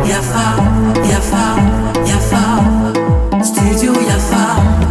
Yafa, Yafa, Yafa, Studio Yafa.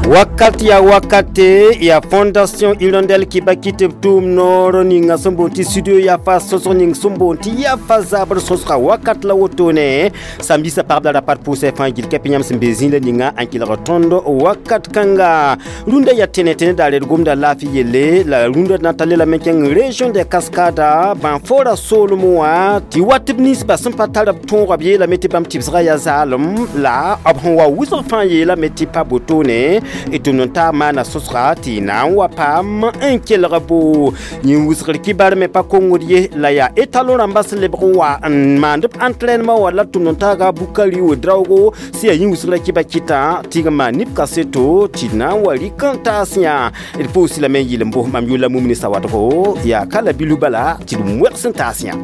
Wakat ya wakate ya Fondation Hirondelle Kibaki tɩ b tʋʋm noor ninga sẽn boond tɩ studio Yafa sõsg ning sẽn boond tɩ Yafa zabr sõsga wakat la wotone samedi sa pagb la rapat pʋʋsɛ fãa gil kɛp yãmb sẽn be zĩila ninga n kelg tõnd wakat kãnga rũndã yaa tẽne tẽne daar d gomda laafɩ yelle la rũndã na ta lelame kẽng région des Cascades bãnfora soolem wã tɩ wat b ninsba sẽn pa tar b tõoga b yeelame tɩ bãmb tɩbsgã yaa zaalem la b sẽn wa wʋsg fãa yeelame tɩ pa botone tɩ n taa maana sõsga tɩ na n wa paam n kelg bo yĩn wʋsgr kibar me pa kongd ye la yaa étalon rãmbã sẽn lebg n wa n maand b entraînement wala tʋm n taaga Bukari Ouedraogo sẽn yaa yĩn wʋsgrã kiba kɩtã tɩ g maan neb kaseto tɩ na n wa rɩk n taas yã d pʋʋs lame n yɩl n bos mam yʋla mumni sawadgo yaa ka la bilu bala tɩ d wẽgs n taas yã.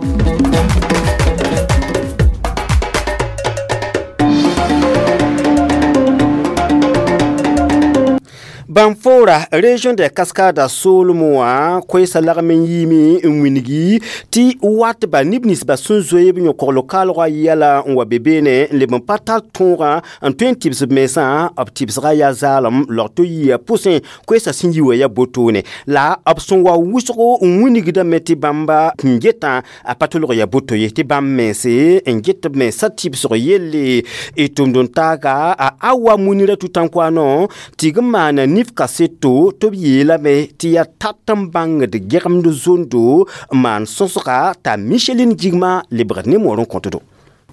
Banfora région des Cascades soolem wã koɛɛsã lagm n yiime n wilgi tɩ wat ba neb ninsba sẽn zoe b yõkogl kaalgã yɛla n wa be beene n leb n pa tar tõogã n tõe n tɩbs b mensã b tɩbsgã yaa zaalem log to yia pʋsẽ koɛɛsã sẽn yi wã yaa botone la b sẽn wa wʋsgo n wilgdame tɩ bãmba n getã a pa tolg yaa boto ye tɩ bãmb mense n get b mensã tɩbsg yelle d tʋmd n taaga a awa munira tʋ-tãnkoano tɩ g maana nif kaseto tɩ b yeelame tɩ yaa tat n bãngd gɛgemd zondo n maan sõsga t'a Micheline Jigma lebgd ne moor n kõtdo.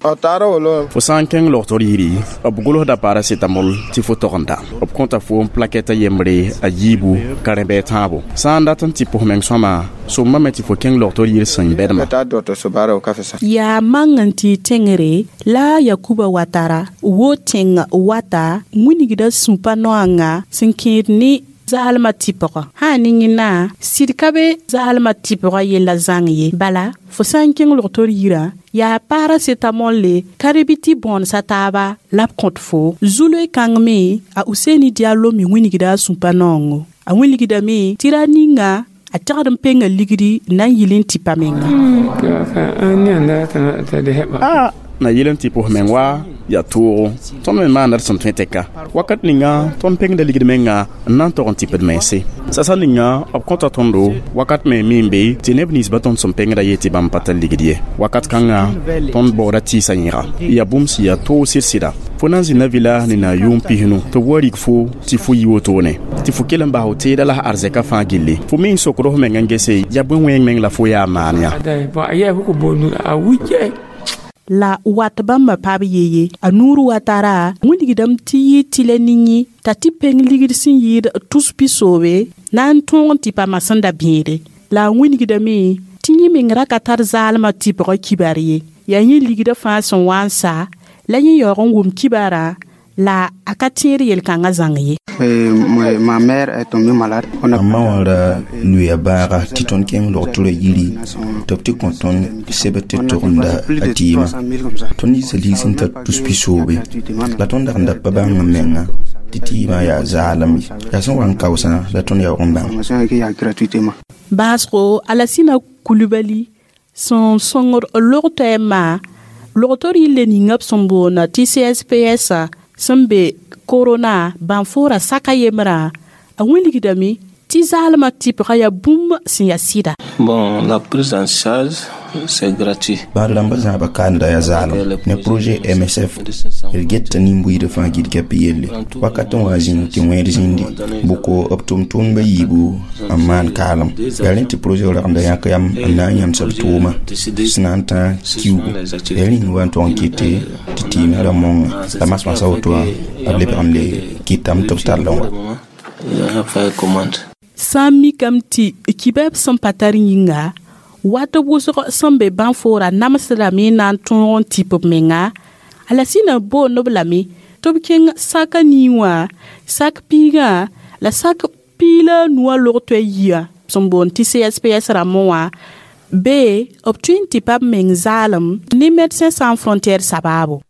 Fo sã n kẽng logtr yiri b gʋlsda paracetamol tɩ fo tog n da b kõta fo n plakɛta yembre a yiibu karen-bɛɛ tãabo sã n dat n tɩ pʋs meng sõma sõmbame tɩ fo kẽng logtr yir sẽn bɛdma. Yaa mang n tɩ tẽngre la Yakuba Watara wo tẽng wata wilgda sũ-pa noanga sẽn kẽed ne zaalmã tɩpgã sã ne yẽna sɩd ka be zaalmã tɩpgã yella zãng ye bala fo sã n kẽng logtr yirã yaa paracetamol le ka-rɩ tɩ bõonsa taaba la b kõt fo zu-loe kãng me a Useni Diallo me wilgda a sũ-pa naoongo a wilgdame tɩ ra ninga a tɛgd n penga ligdi n na n yɩl n tɩpa menga. Na yɩl n tɩ pʋs meng wa yaa toogo tõnd me maanda d sẽn tõe tɛka wakat ninga tõnd pengda ligd menga n na n tog n tɩp d mense sasa ninga b kõta tõndo wakat me mi n be tɩ neb ninsba tõnd sẽn pengda ye tɩ bãmb pa tar ligd ye wakat kãnga tõnd baooda tɩɩsa yẽga yaa bũmb sẽn yaa toog sɩd-sɩda fo na n zĩnda vɩla ne na yʋʋm pisnu tɩ b wa rig fo tɩ fo yi wotone tɩ fo kell n bas f teeda la arzɛka fãa gilli fo me n sokd f meng n gese yaa bõe wẽng meng la fo yaa maan yã. La wat bãmba paab yeye a nuur watara wilgdame tɩ yɩ tɩlɛ ning t'a tɩ peng ligd sẽn yɩɩd tus pisoobe na n tõog n tɩ pa sẽn da bẽede la a wilgdame tɩ yẽ meng ra ka tar zaalmã tɩpgã kibar ye yaa yẽ ligdã fãa sẽn wa n sa la yẽ yaoog n wʋm kibarã la a ka tẽed yel-kãngã zãng ye. Ma mère est tombée malade. A ma wã ra lʋɩa baaga tɩ tõnd kẽng logtrã yiri tɩ b tɩ kõ tõnd sebr tɩ togenda a tɩɩmã tõnd yiisa lig sẽn tar tus pisoobe la tõnd dag n da pa bãng n menga tɩ tɩɩmã yaa zaalem ye yaa sẽn wa n kaoosã la tõnd yaoog n bãng. Baasgo Alasina Kulibali sẽn sõngd log-toɛɛmã logtr yille ninga b sẽn boond tɩ CSPS sẽn be korona bãnfoora saka yembrã a wilgdame tɩ zaalmã tɩpgã yaa bũmb sẽn yaa sɩda. Bon, la prise en charge, c'est gratuit. Bãad rãmbã zãaba kaanda yaa zaalem ne projet MSF d geta nin-buiidã fãa gil kɛp yelle wakat n wa zĩnd tɩ wẽed zĩndi bʋko b tʋm-tʋmdbã yiibu n maan kaalem yaa rẽ tɩ projet ragenda yãk yam n na n yãmsa b tʋʋma sẽn na n tã kiugu yaa rĩng wa n tog n kɩte tɩ tɩɩmã ra mõnga la masmasa woto wã b lebg n le kɩtame tɩ b tall n wa. Sã n mikame tɩ kibɛɛb sẽn pa tar yĩnga wat wʋsg sẽn be bãnfoora namsdame na n tõog n tɩp b menga Alasina boond b lame tɩ b kẽng saka nii wã sak piigã la sak piig la a nuwã log-toɛ yia sẽn boond tɩ CSPS rãmbẽ wã bee b tõe n tɩ pa b meng zaalem ne Médecins Sans Frontières sabaabo.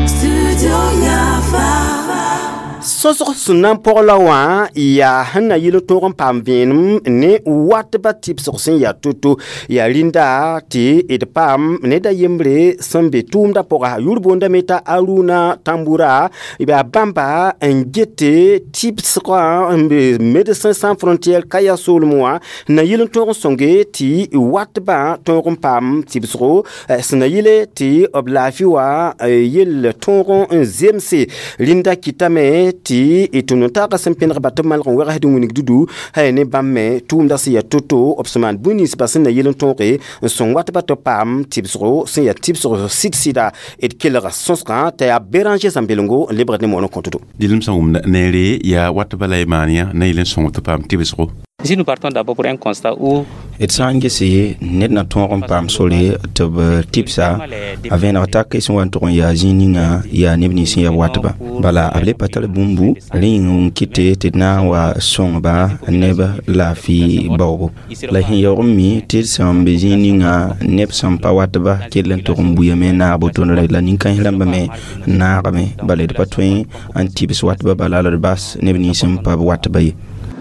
Studio Yafa. Sõsg sẽn na n pɔg la wã yaa sẽn na yɩl n tõog n paam vẽenem ne watba tɩbsg sẽn yaa to-to yaa rĩnda tɩ d paam ned a yembre sẽn be tʋʋmdã pʋga yʋr boondame t'a Aruna Tambura yaa bãmba n gete tɩbsgã n be Médecins Sans Frontières Kaya soolem wã na yɩl n tõog n sõnge tɩ watbã tõog n paam tɩbsgo sẽn na yɩle tɩ b laafɩ wã yell tõog n zemse rĩnda kɩtame tɩ tʋm n taagã sẽn pẽnegba tɩ b malg n wegsd n wilg dudu ne bãmb me tʋʋmdã sẽn yaa to-to b sẽn maan bũn-ninsbã sẽn na yɩl n tõoge n sõng watbã tɩ b paam tɩbsgo sẽn yaa tɩbsg sɩd-sɩda d kelga sõsgã t'a yaa Béranger Zãmbelengo n lebgd ne moon n kõt-do. Dɩlem sẽn wʋmd neere yaa watbã la y maan yã na yɩl n sõng tɩ paam tɩbsgo. Si nous partons d'abord pour un constat où d sã n gese ned na tõog n paam sore tɩ b tɩbsa a vẽeneg tak sẽn wa n tʋg n yaa zĩig ninga yaa neb nins sẽn yaa watba bala b le pa tar bũmbu rẽ yĩng n kɩte tɩ d na n wa sõngba neb laafɩ baoogo la sẽn yaoog n mi tɩ d sẽn be zĩig ninga neb sẽn pa watba kell n tʋg n buyame n naag boto la nin-kãens rãmbã me n naagame bala d pa tõe n tɩbs watba bala la d bas neb nins sẽn pa b watba ye.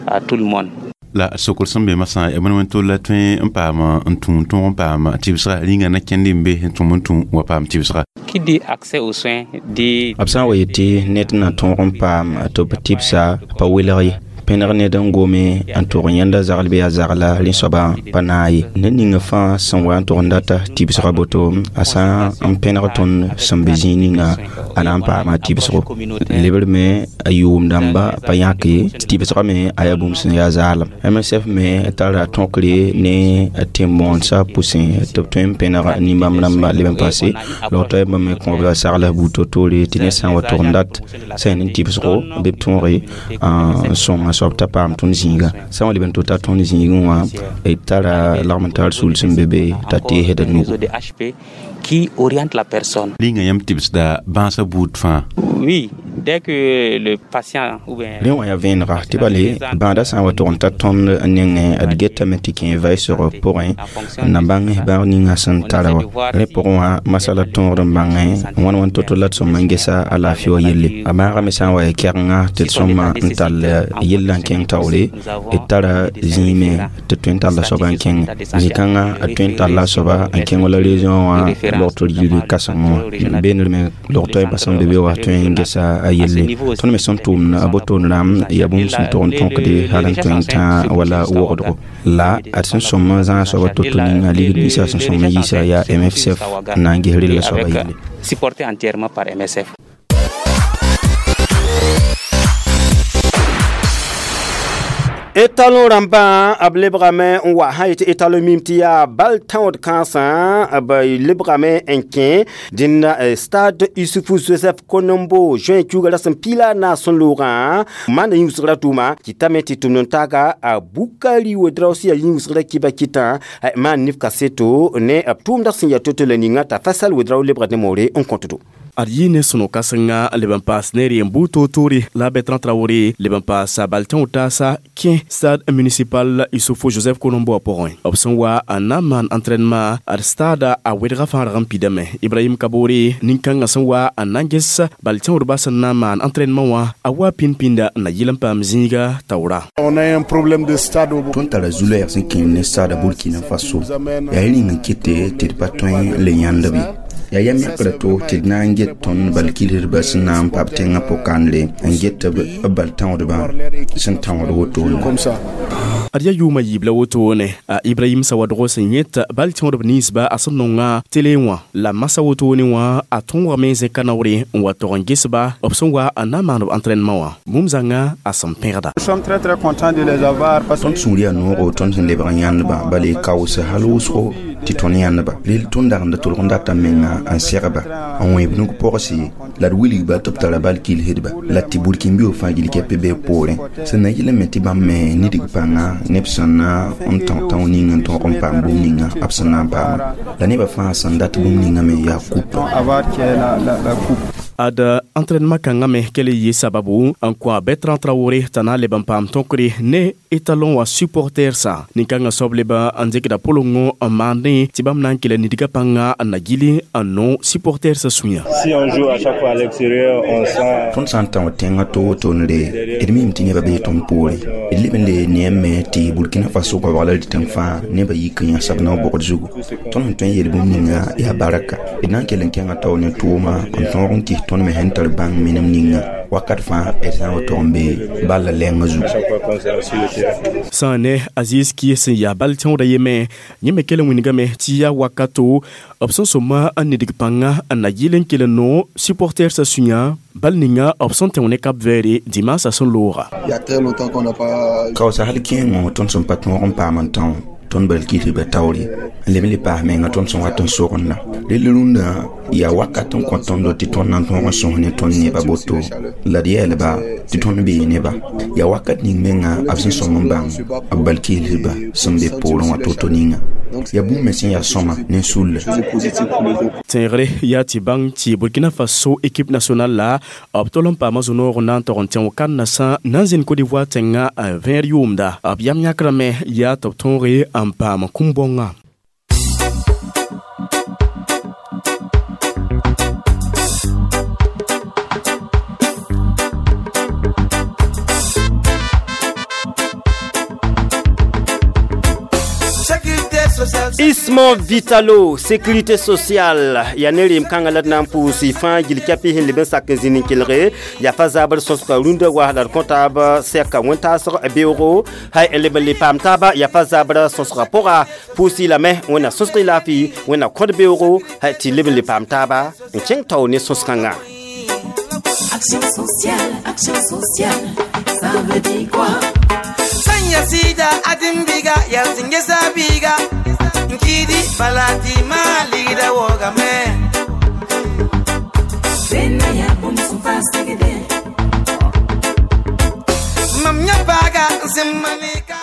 À tout le monde. La sokr sẽn be masã ya bõe wẽn-tol la tõe n paam n tũ tõog n paam tɩbsga rĩnga na kẽnd n be n tʋm n tũ wa paam tɩbsga. Qui dit accès aux soins dit b sã n wa yetɩ ned na tõog n paam tɩ b tɩbsa pa welg ye pẽneg ned n gome n tʋg n yẽnda zagl bɩ yaa zagla rẽ soabã pa naag ye ned ninga fãa sẽn wa n tʋg n data tɩbsga boto a sã n pẽneg tõnd sẽn be zĩig ninga a na n paama tɩbsgo lebr me a yʋʋm dãmba pa yãk ye tɩbsga me a yaa bũmb sẽn yaa zaalem MSF me tara tõkre ne tẽn-bõonesã pʋsẽ tɩ b tõe n pẽneg nin-bãmb rãmba leb n paase la toɛɛmbã me kõ b la sagl buud to-toore tɩ ned sã n wa tʋg n dat sã ne tɩbsgo bɩ b tõoge n sõng a soab t'a paam tõnd zĩiga sã n wa leb n tota tõnd zĩigẽ wã d tara lagm n tar sul sẽn be be t'a teesd nugu. Qui oriente la personne. Rĩnga yãmb tɩbsda bãasã buud fãa. Oui, dès que le patient ou bien rẽ wã yaa vẽenega tɩ bale bãadã sã n wa tʋg n ta tõnd nengẽ d getame tɩ kẽ vaɩsg pʋgẽ n na bãng bãag ninga sẽn tara wã rẽ pʋgẽ wã masala tõogd n bãngẽ wãn wãn to-to la d sõma n gesa a laafɩ wã yelle a maagame sã n wa ya kɛgenga tɩ d sõma n tall yella n kẽng taoore d tara zĩime tɩ tõe n talla soaba n kẽngẽ zĩ-kãngã a tõe n talla a soaba n kẽng wala région wã logtr yiri kãseng wã beendr me log toɛɛmbã sẽn be be wã tõe n gesa a yelle tõnd me sẽn tʋʋmd a botoon rãmb yaa bũmb sẽn tʋg n tõkde hal n tõe n tã wala wogdgo la ad sẽn sõm n zãag soaba to-to ninga ligd ninsã sẽn sõm n yiisa yaa MSF n na n ges rella soaba yelle. Supporté entièrement par MSF. Étalon rãmbã b lebgame n wa sã yetɩ étalon mim tɩ yaa bal tãood kãensã b lebgame n kẽ dẽnna stade Isufu Joseph Konombo juin kiuga rasem pila na sẽn loogã maanda yĩwsgrã tʋʋma kɩtame tɩ tʋmd n taaga a Bukari Wedraosi yaa yĩwsgrã kiba kɩtã maan nif kaseto ne b tʋʋmdã sẽn yaa to-to la ninga t'a Fasal Wedrao lebgd ne moore n kõtdo. Ad yɩ ne sõno-kãsenga leb n paas ne r buud toor-toore la Bertrand Traoré leb n paasa bal tẽo taasa kẽ stade municipal Issoufou Joseph Konombo wã pʋgẽ b sẽn wa n na n maan entraînement ad stade a wedga fãa rag n pidame Ibrahim Kabore nin-kãngã sẽn wa n na n ges bal tẽodbã sẽn na n maan entraînement wã a wa pĩnd-pĩnda n na yɩl n paam zĩiga taoora. On a un problème de stade au Tõnd tara zu-loɛɛg sẽn kẽem ne stade Burkina Faso yaa rĩng n kɩte tɩ d pa tõe n le yãnd b ye yaa yam yãkra to tɩ d na n get tõnd bal kilsdbã sẽn na n pa b tẽngã pʋ-kãndre n get b bal tãoodbã sẽn tãood wotone. Ad yaa yʋʋmã yiib la wotone a Ibrahim Sawadgo sẽn yẽt bal tẽodb ninsba a sẽn nonga tele wã la masã wotone wã a tõogame zẽka naoore n wa tog n gesba b sẽn wa n na n maan b entraînement wã bũmb zãnga a sẽn pẽgda. Nous sommes très très contents de les avoir parce Tõnd sũur yaa noogo tõnd sẽn lebg n yãndbã bala y kaoos hal wʋsgo tɩ tõnd yãndba rel tõnd dagenda tʋlg n data menga n segba n wẽeb nug pɔgse la d wilgba tɩ b tara bal kilsdba la tɩ burkĩn-bio fãa gil kɛpɩ bee poorẽ sẽn na yɩl me tɩ bãmb me nidg pãnga neb sẽn na n tão tão ning n tõog n paam bũmb ninga b sẽn na n paama la nebã fãa sẽn dat bũmb ninga me yaa kupa. Avoir qui est la coupe. Ad entraînement kãngã me kell yɩ sababu n kõ a Bertrand Traoré t'a na n leb n paam tõkre ne étalon wã supportersã. Nin-kãngã soab leb n dɩkda pʋlengõ n maandẽ tɩ bãmb na n kell nidgã pãnga n na gili n no supportersã sũyã. Si on joue à chaque fois à l'extérieur, on sent Tõnd sã n tão tẽngã to-woto n re d mim tɩ nebã bee tõnd poore. D leb n le neem me tɩ Burkina Faso goabg la d tẽng fãa nebã yik n yãsb nao bogd zugu. Tõnd sẽn tõe n yel bũmb ninga yaa baraka. D na n kell n kẽnga tao ne tʋʋma n tõog n kɩs tõnd me sẽn tar bãng minem ninga wakat fãa d sã n wa tog n be balla lɛngã zugu. Sã ne Aziz Ki sẽn yaa bal tẽoodã yeme, yẽ me kell n wilgame tɩ yaa wakato b sẽn sõma n nidg pãnga n na yɩl n kell n no supportersã sũyã bal ninga b sẽn tẽo ne Cap Vert dimanche sẽn looga. Il y a très longtemps qu'on n'a pas Kaoosa hal kẽengõ tõnd sẽn pa tõog n paam n tão tõnd bal kɩsba taoore n leb n le paas menga tõnd sẽn wat n sogenda. Rel rũndã yaa wakat n kõ tõndo tɩ tõnd na n tõog n sõs ne tõnd nebã boto la d yɛɛlba tɩ tõnd bee neba. Yaa wakat ning menga b sẽn sõm n bãng b bal kɩsdba sẽn be poorẽ wã to-to ninga. Yaa bũmb me sẽn yaa sõma ne sulla. Tẽegre yaa tɩ bãng tɩ Burkina Faso équipe nationale la b tol n paama zũ-noog n na n tog n tẽ wã-kandasã na n zĩnd Côte d'Ivoire tẽngã vẽer yʋʋmda. B yam yãkrame yaa tɩ b tõoge n paam kũm-bõngã. Ismo Vitalo, sécurité sociale. Ya ne rem kãngã la d na n pʋʋs fãa gil kɛpɩ sẽn leb n sak n zĩnd n kelge yaa fa zabr sõsga rũndã wa la d kõ taab sɛka wẽn-taasg beoogo hay n leb n le paam taaba yaa fa zabr sõsga pʋga pʋʋs-y lame wẽnna sõsg y laafɩ wẽnna kõd beoogo hay tɩ leb n le paam taaba n kẽng tao ne sõs-kãngã. Action sociale, action sociale, ça veut dire quoi? Sanya sida adimbiga yaltingesa biga Nkidi balati malida wogame Bena ya bom supa segede Mamnya baga nsimmalika.